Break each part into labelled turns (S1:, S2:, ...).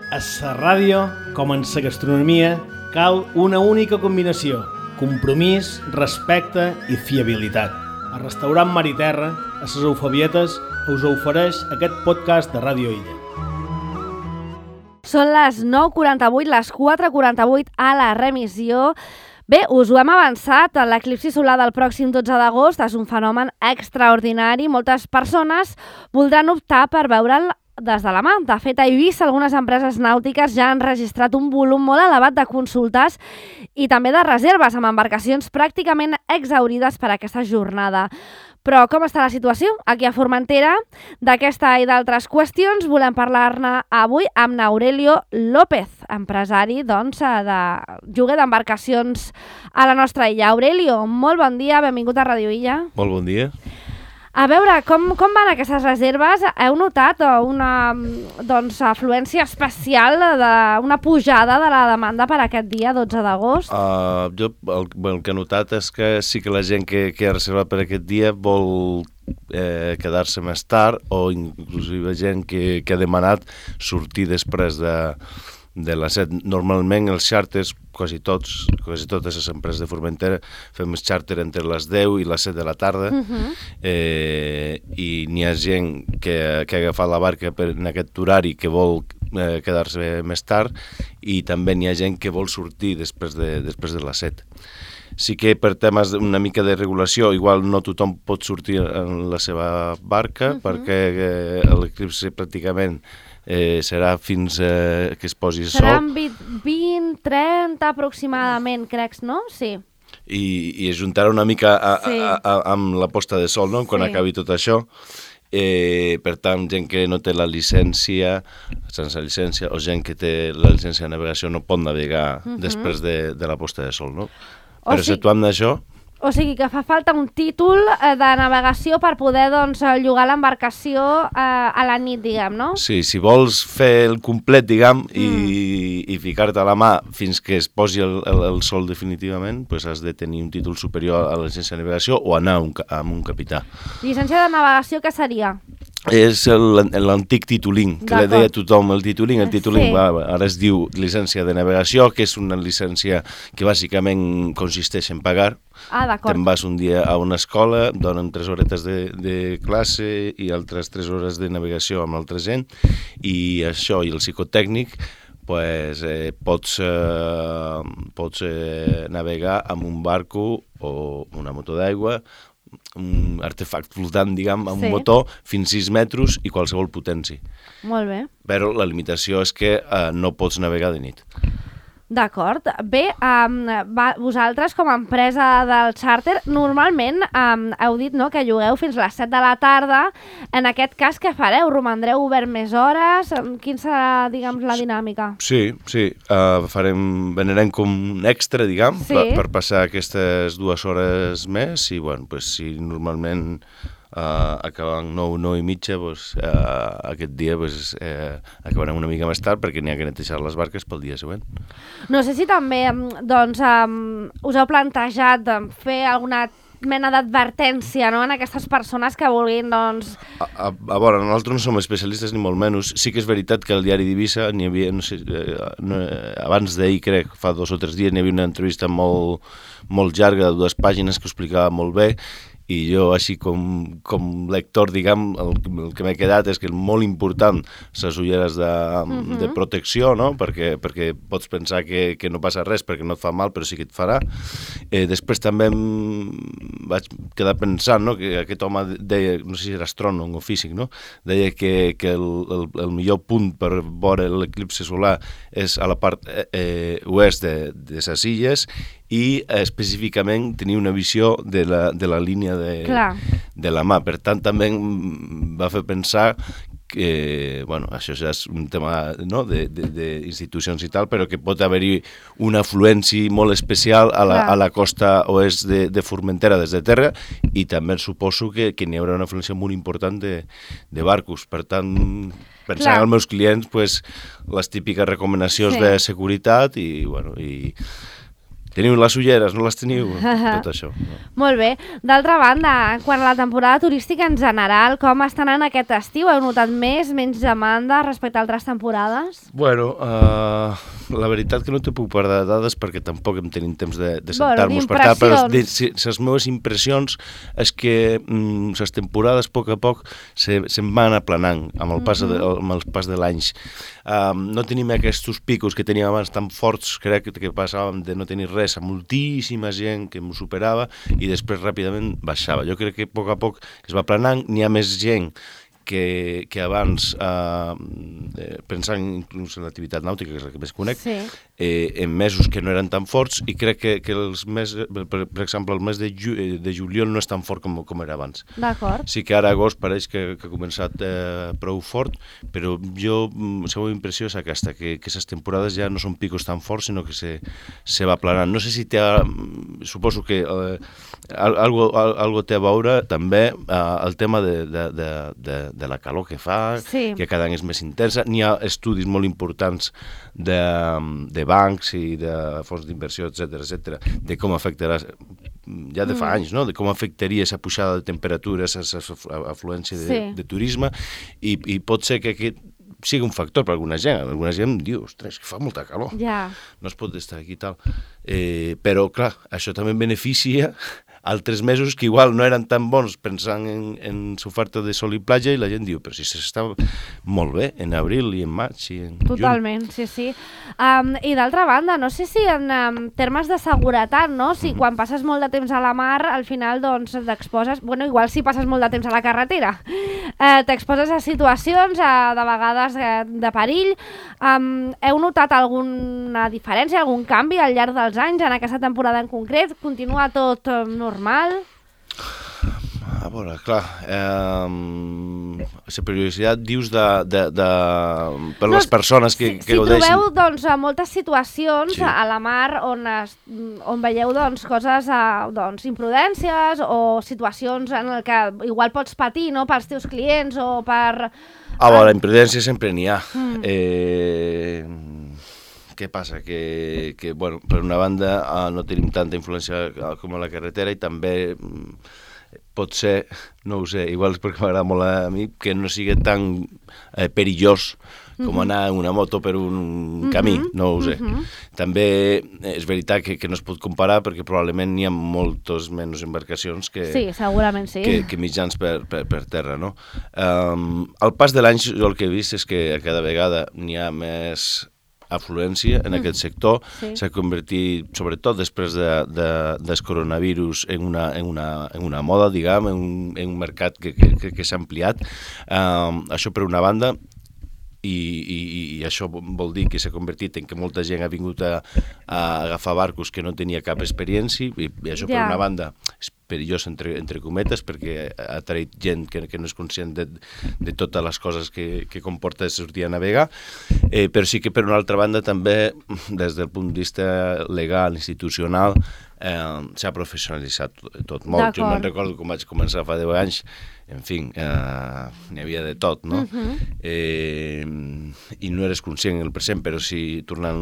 S1: A la ràdio, com en la gastronomia, cal una única combinació: compromís, respecte i fiabilitat. El restaurant Mar i Terra, a les Eufabietes, us ofereix aquest podcast de Ràdio Illa.
S2: Són les 9:48, les 4:48 a la remissió. Bé, us ho hem avançat, l'eclipsi solar del pròxim 12 d'agost és un fenomen extraordinari. Moltes persones voldran optar per veure'l des de la mà. De fet, a Eivissa algunes empreses nàutiques ja han registrat un volum molt elevat de consultes i també de reserves amb embarcacions pràcticament exhaurides per aquesta jornada. Però com està la situació aquí a Formentera? D'aquesta i d'altres qüestions volem parlar-ne avui amb Aurelio López, empresari de lloguer d'embarcacions a la nostra illa. Aurelio, molt bon dia, benvingut a Ràdio Illa.
S3: Molt bon dia.
S2: A veure, com van aquestes reserves? Heu notat una afluència especial, una pujada de la demanda per aquest dia, 12 d'agost?
S3: Jo el que he notat és que sí que la gent que ha reservat per aquest dia vol quedar-se més tard, o inclusive gent que ha demanat sortir després de les 7. Normalment els xàrters, quasi totes les empreses de Formentera, fem el xàrter entre les 10 i les 7 de la tarda, i n'hi ha gent que ha agafat la barca en aquest horari que vol quedar-se més tard, i també n'hi ha gent que vol sortir després de les 7. Sí que per temes una mica de regulació, igual no tothom pot sortir en la seva barca, perquè l'eclipsi pràcticament serà fins que es posi el sol.
S2: Seran 20, 30 aproximadament, crec, no? Sí.
S3: I es juntarà una mica amb la posta de sol, no? Quan acabi tot això. Per tant, gent que no té la llicència, sense llicència, o gent que té la llicència de navegació no pot navegar després de la posta de sol, no? Però exceptuant d'això...
S2: O sigui que fa falta un títol de navegació per poder llogar l'embarcació a la nit, diguem, no?
S3: Sí, si vols fer el complet, diguem, i ficar-te a la mà fins que es posi el sol definitivament, doncs has de tenir un títol superior a la llicència de navegació o anar amb un capità.
S2: Llicència de navegació, què seria?
S3: És l'antic titulín, que li deia tothom el titulín. El titulín ara es diu llicència de navegació, que és una llicència que bàsicament consisteix en pagar.
S2: D'acord.
S3: Te'n vas un dia a una escola, donen 3 horetes de classe i altres 3 hores de navegació amb altra gent, i això i el psicotècnic pots navegar amb un barco o una moto d'aigua, un artefacte flotant, diguem, amb un motor fins 6 metres i qualsevol potència.
S2: Molt bé.
S3: Però la limitació és que no pots navegar de nit.
S2: D'acord. Bé, vosaltres com a empresa del xàrter normalment heu dit que llogueu fins a les 7 de la tarda. En aquest cas, què fareu? Romandreu obert més hores? Quin serà, diguem, la dinàmica?
S3: Sí. Venirem com un extra, diguem, per passar aquestes 2 hores més, i si normalment acabant 9 i mitja, aquest dia acabarem una mica més tard perquè n'hi ha que netejar les barques pel dia següent.
S2: No sé si també us heu plantejat fer alguna mena d'advertència, no?, en aquestes persones que vulguin,
S3: A veure, nosaltres no som especialistes ni molt menys. Sí que és veritat que al diari d'Eivissa n'hi havia, abans d'ahir, crec, fa 2 o 3 dies, n'hi havia una entrevista molt llarga de 2 pàgines que ho explicava molt bé, i jo, així com lector, diguem, el que m'he quedat és que és molt important les ulleres de protecció, no? Perquè pots pensar que no passa res perquè no et fa mal, però sí que et farà. Després també em vaig quedar pensant, no?, que aquest home deia, no sé si era astrònom o físic, no?, deia que el millor punt per veure l'eclipsi solar és a la part oest de les illes, i específicament tenir una visió de la línia de la mà. Per tant, també em va fer pensar que, això ja és un tema, no?, d'institucions i tal, però que pot haver-hi una afluència molt especial a la costa oest de Formentera des de terra, i també suposo que n'hi haurà una afluència molt important de barcos. Per tant, pensant en els meus clients, les típiques recomanacions de seguretat i teniu les ulleres, no les teniu? Tot això. No?
S2: Molt bé. D'altra banda, quan a la temporada turística en general, com estan en aquest estiu? Heu notat menys demanda respecte a altres temporades?
S3: Bueno, la veritat que no te puc parlar de dades perquè tampoc em tenim temps de sentar-nos per tant, però les meves impressions és que les temporades a poc se'n van aplanant amb el pas de l'anys. No tenim aquests picos que teníem abans tan forts, crec que passàvem de no tenir res a moltíssima gent que m'ho superava i després ràpidament baixava. Jo crec que a poc es va aplanant, n'hi ha més gent que abans, pensant inclús en l'activitat nàutica, que és la que més conec, en mesos que no eren tan forts, i crec que els mesos, per exemple, el mes de juliol no és tan fort com era abans.
S2: D'acord.
S3: Sí que ara agost pareix que ha començat prou fort, però la meva impressió és aquesta, que les temporades ja no són picos tan forts, sinó que se va aplanant. No sé si suposo que algo té a veure també el tema de la calor que fa, que cada any és més intensa. N'hi ha estudis molt importants de bancs i de fons d'inversió, etc., de com afectarà, ja de fa anys, no? De com afectaria aquesta pujada de temperatures, aquesta afluència de turisme, i pot ser que aquest sigui un factor per alguna gent. Alguna gent diu, ostres, que fa molta calor, no es pot estar aquí i tal. Però, clar, això també beneficia altres mesos que igual no eren tan bons pensant en l'oferta de sol i platja, i la gent diu, però si s'està molt bé en abril i en maig i en juny.
S2: Totalment, sí. I d'altra banda, no sé si en termes de seguretat, no? Si quan passes molt de temps a la mar, al final doncs t'exposes, bueno, igual si passes molt de temps a la carretera, t'exposes a situacions de vegades de perill. Heu notat alguna diferència, algun canvi al llarg dels anys en aquesta temporada en concret? Continua tot normal?
S3: A veure, clar, la periodicitat dius per les persones que gaudeixen.
S2: Si trobeu doncs, moltes situacions a la mar on veieu doncs, coses, imprudències o situacions en què igual pots patir, no?, pels teus clients o per...
S3: A veure, imprudència sempre n'hi ha. Què passa? Que bueno, per una banda no tenim tanta influència com a la carretera, i també pot ser, no ho sé, igual és perquè m'agrada molt a mi, que no sigui tan perillós com anar en una moto per un camí, no ho sé. També és veritat que no es pot comparar perquè probablement n'hi ha moltes menys embarcacions que mitjans per terra, no? Al pas de l'any, jo el que he vist és que cada vegada n'hi ha més afluència en aquest sector. S'ha convertit, sobretot després del coronavirus, en una moda, diguem, en un mercat que s'ha ampliat. Això per una banda, i això vol dir que s'ha convertit en que molta gent ha vingut a agafar barcos que no tenia cap experiència, i això per una banda és perillós entre cometes perquè ha traït gent que no és conscient de totes les coses que comporta sortir a navegar, però sí que per una altra banda també des del punt de vista legal, institucional, s'ha professionalitzat tot molt. Jo me'n recordo quan vaig començar fa 10 anys, en fi, n'hi havia de tot, no? I no eres conscient en el present, però si tornant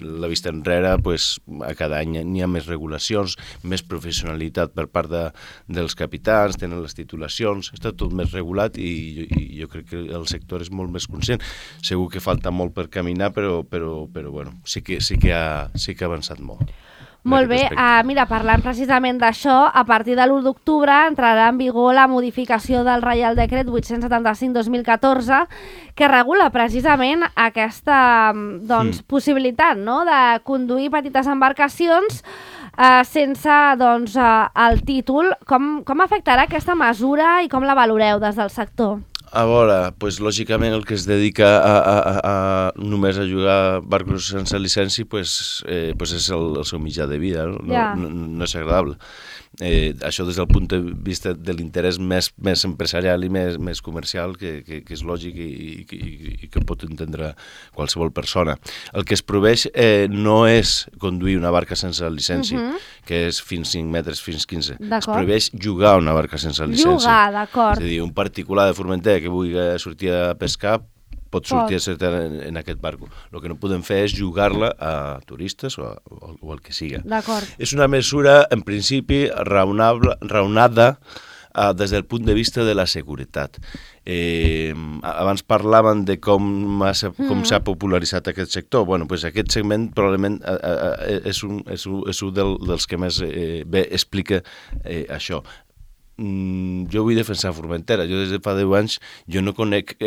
S3: la vista enrere, pues, a cada any n'hi ha més regulacions, més professionalitat per part dels capitans, tenen les titulacions, està tot més regulat, i jo crec que el sector és molt més conscient. Segur que falta molt per caminar, però bueno, sí que ha avançat molt.
S2: Molt bé, mira, parlant precisament d'això, a partir de l'1 d'octubre entrarà en vigor la modificació del Reial Decret 875/2014 que regula precisament aquesta possibilitat, no?, de conduir petites embarcacions sense el títol. Com afectarà aquesta mesura i com la valoreu des del sector?
S3: A veure, doncs, lògicament el que es dedica només a jugar barcos sense llicència és el seu mitjà de vida, no és agradable. Això des del punt de vista de l'interès més empresarial i més comercial, que és lògic i que pot entendre qualsevol persona. El que es prohibeix no és conduir una barca sense llicència, que és fins 5 metres, fins 15. Es prohibeix jugar una barca sense llicència.
S2: Jugar, d'acord.
S3: És a dir, un particular de Formentera que vulgui sortir a pescar pot sortir en aquest barco. El que no podem fer és jugar-la a turistes o el que siga.
S2: D'acord.
S3: És una mesura, en principi, raonada des del punt de vista de la seguretat. Abans parlaven de com s'ha popularitzat aquest sector. Bueno, pues aquest segment probablement és un dels que més bé explica això. Jo vull defensar Formentera. Jo des de fa 10 anys jo no conec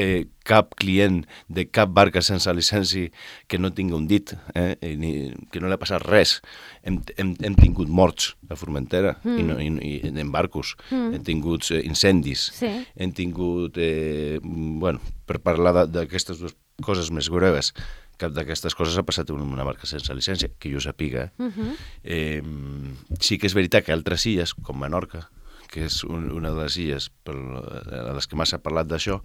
S3: cap client de cap barca sense llicència que no tingui un dit, que no li ha passat res. Hem tingut morts a Formentera i en barcos, hem tingut incendis, hem tingut, per parlar d'aquestes dues coses més greves, cap d'aquestes coses ha passat en una barca sense llicència, que jo sàpiga. Sí que és veritat que altres illes, com Menorca, que és una de les illes a les que m'ha parlat d'això,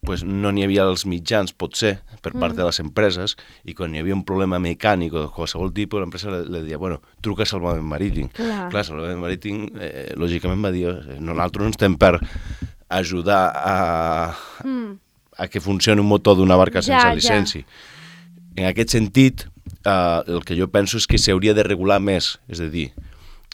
S3: pues no n'hi havia els mitjans, potser, per part de les empreses, i quan hi havia un problema mecànic o de qualsevol tipus, l'empresa li deia, truca a Salvament Marítim. Clar, Salvament Marítim, lògicament va dir, nosaltres no estem per ajudar a que funcioni un motor d'una barca sense llicència. En aquest sentit, el que jo penso és que s'hauria de regular més, és a dir,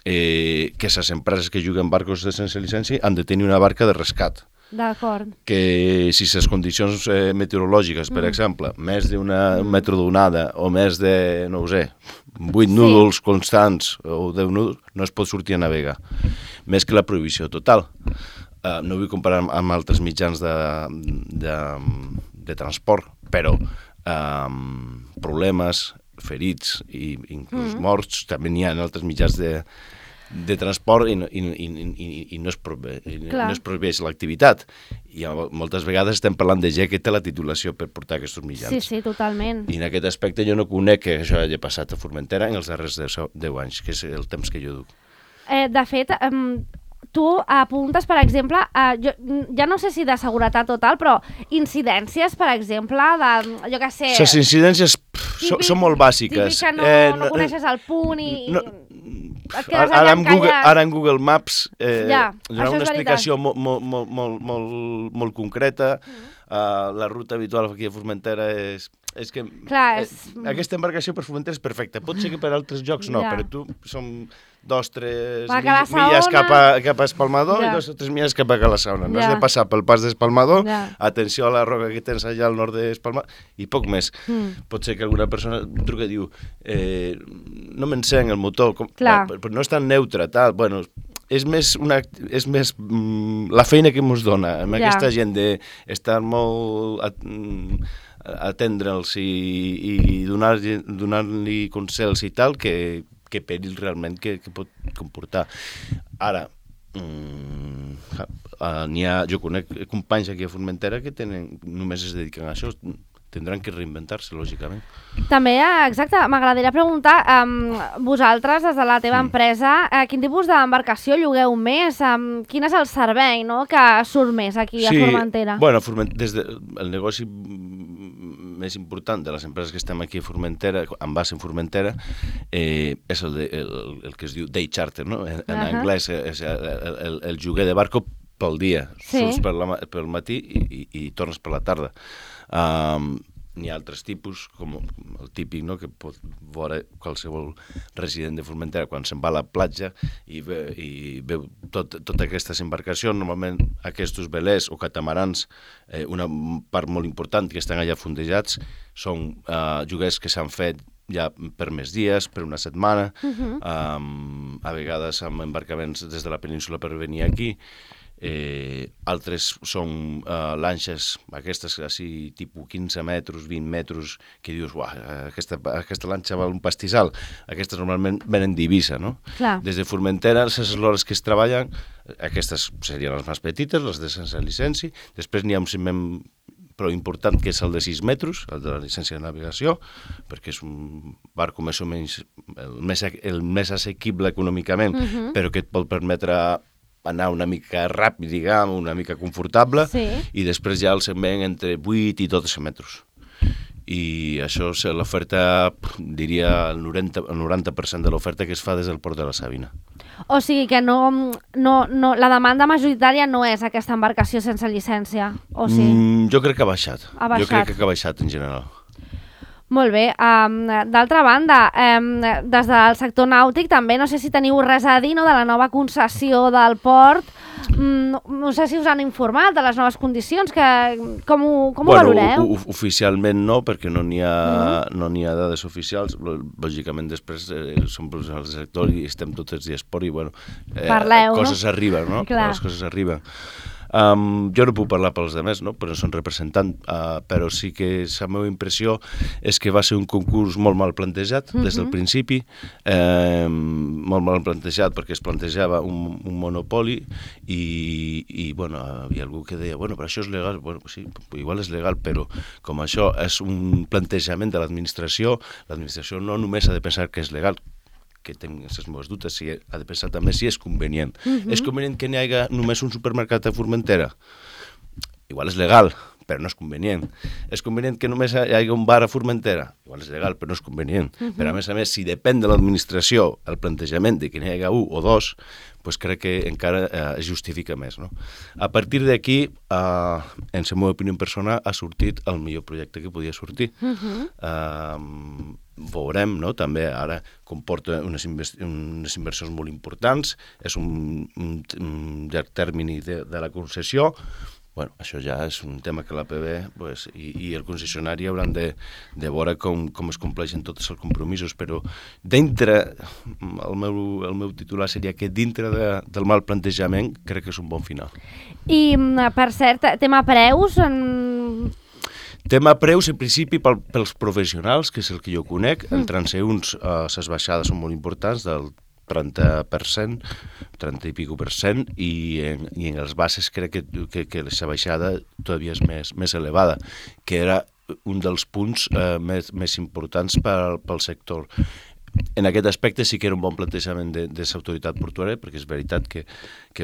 S3: que les empreses que juguen barcos sense llicència han de tenir una barca de rescat.
S2: D'acord.
S3: Que si les condicions meteorològiques, per exemple, més d'un metre d'onada o més de, no ho sé, 8 núvols constants o 10 núvols, no es pot sortir a navegar. Més que la prohibició total. No vull comparar amb altres mitjans de transport, però problemes, ferits i inclús morts també n'hi ha en altres mitjans de transport i no es prohibeix l'activitat. I moltes vegades estem parlant de gent que té la titulació per portar aquests mitjans.
S2: Sí, totalment.
S3: I en aquest aspecte jo no conec que això hagi passat a Formentera en els darrers 10 anys, que és el temps que jo duc.
S2: De fet, tu apuntes, per exemple, ja no sé si de seguretat total, però incidències, per exemple, jo què sé...
S3: Les incidències són molt bàsiques.
S2: Típic que no coneixes el punt i... et quedes allà encallat.
S3: Ara en Google Maps donarà una explicació molt concreta. La ruta habitual aquí a Formentera és que aquesta embarcació per Formentera és perfecta. Pot ser que per altres llocs no, però tu som 2-3 milles cap a Espalmador i 2 o 3 milles cap a Cala-saona. No has de passar pel pas d'Espalmador, atenció a la roca que tens allà al nord d'Espalmador, i poc més. Pot ser que alguna persona truca i diu no m'encén el motor, però no és tan neutre, tal. Bueno, és més la feina que ens dona amb aquesta gent d'estar molt atendre'ls i donar-li consells i tal, que perill realment que pot comportar. Ara, jo conec companys aquí a Formentera que només es dediquen a això, tindran que reinventar-se, lògicament.
S2: També, exacte, m'agradaria preguntar, vosaltres, des de la teva empresa, quin tipus d'embarcació llogueu més? Quin és el servei que surt més aquí a Formentera?
S3: Bueno, el negoci més important de les empreses que estem aquí a Formentera, amb base en Formentera, és el que es diu day charter, no? En anglès és el lloguer de barco pel dia. Surts pel matí i tornes per la tarda. N'hi ha altres tipus, com el típic, no?, que pot veure qualsevol resident de Formentera quan se'n va a la platja i veu totes aquestes embarcacions. Normalment aquests velers o catamarans, una part molt important que estan allà fondejats, són lloguers que s'han fet ja per més dies, per una setmana, a vegades amb embarcaments des de la península per venir aquí. Altres són lanxes, aquestes així, tipus 15 metres, 20 metres, que dius, aquesta lanxa val un pastissal. Aquestes normalment venen d'Eivissa, no? Des de Formentera, les eslores que es treballen, aquestes serien les més petites, les de sense llicència. Després n'hi ha un segment però important, que és el de 6 metres, el de la llicència de navegació, perquè és un barco més o menys el més assequible econòmicament, però que et pot permetre anar una mica ràpid, diguem, una mica confortable, i després ja el segment entre 8 i 12 metres. I això és l'oferta, diria, el 90% de l'oferta que es fa des del port de la Sabina.
S2: O sigui que la demanda majoritària no és aquesta embarcació sense llicència, o sí?
S3: Jo crec que ha baixat.
S2: Ha baixat.
S3: Jo crec que ha baixat en general.
S2: Molt bé. D'altra banda, des del sector nàutic també, no sé si teniu res a dir, no?, de la nova concessió del port. No sé si us han informat de les noves condicions, com ho valoreu?
S3: Oficialment no, perquè no n'hi ha dades oficials. Lògicament després som professionals del sector i estem tots els dies por i
S2: parleu,
S3: coses arriben, no?
S2: Clar.
S3: Les coses arriben. Jo no puc parlar pels altres, no? Però són representant, però sí que la meva impressió és que va ser un concurs molt mal plantejat des del principi, molt mal plantejat perquè es plantejava un monopoli i bueno, hi ha algú que deia, bueno, però això és legal, bueno, sí, igual és legal, però com això és un plantejament de l'administració no només ha de pensar que és legal, que tinc les meves dubtes, ha de pensar també si és convenient. És convenient que n'hi hagi només un supermercat a Formentera? Igual és legal, però no és convenient. És convenient que només hi hagi un bar a Formentera? Igual és legal, però no és convenient. Però a més, si depèn de l'administració el plantejament de que n'hi hagi un o dos, doncs crec que encara es justifica més, no? A partir d'aquí, en la meva opinió personal, ha sortit el millor projecte que podia sortir. Veurem, no? També ara comporta unes inversions molt importants, és un llarg termini de la concessió. Bueno, això ja és un tema que l'APB i el concessionari hauran de veure com es compleixen tots els compromisos, però el meu titular seria que dintre del mal plantejament crec que és un bon final. I,
S2: per cert, tema preus...
S3: Tema preus, en principi, pels professionals, que és el que jo conec. En transeünts, les baixades són molt importants, del 30%, 30 i pico per cent, i en els bases crec que la baixada todavía és més elevada, que era un dels punts més importants pel sector. En aquest aspecte sí que era un bon plantejament de l'autoritat portuària, perquè és veritat que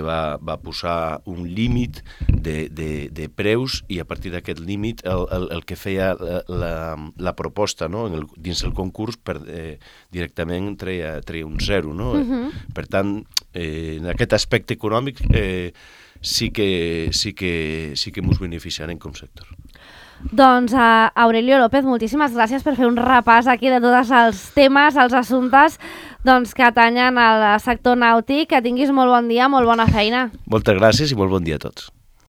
S3: va posar un límit de preus i a partir d'aquest límit el que feia la proposta, no? Dins el concurs directament treia un 0. No? Per tant, en aquest aspecte econòmic sí que ens beneficiarem com sector.
S2: Doncs, Aurelio López, moltíssimes gràcies per fer un repàs aquí de tots els temes, els assumptes que atanyen al sector nàutic. Que tinguis molt bon dia, molt bona feina.
S3: Moltes gràcies i molt bon dia a tots.